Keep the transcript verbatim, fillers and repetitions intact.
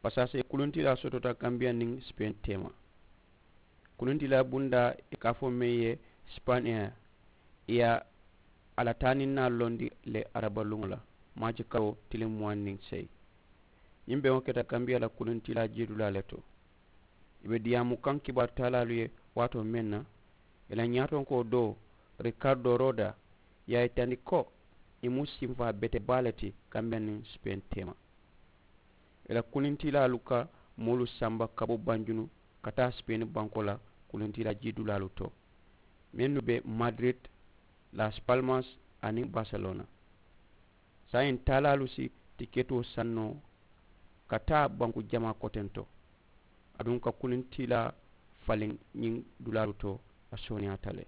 Pasaasee kuluntilaa sotota kambiya niŋ sipeŋ teema. Kuluntilaa bundaa i ka a fo meŋ ye sipaniya, i ye a la taaninnaalu londi le arabaluŋo la, maaci karoo tiliŋ muwaŋ niŋ seyi. Ñiŋ beŋo keta kambiya la kuluntilaa jiidulaa le to. I be diyaamu kaŋ kibaaru taalaalu ye waatoo meŋ na, i la ñaatonkoo doo, rikardoo rooda, ye a yitandi ko i mu sinfaa bete baa le ti kambiya niŋ sipeŋ teema. I la kunintilaalu ka moolu samba ka bo banjunu ka taa sipeeni bankoo la kunintilaa jiidulaalu to, mennu be madirid, las palmas, aniŋ bariselona. Saayiŋ taalaalu si tiketoo saŋ noo ka taa banku jamaa koteŋ to, aduŋ ka kunintilaa faliŋ ñiŋ dulaalu to, a sooneyaata le.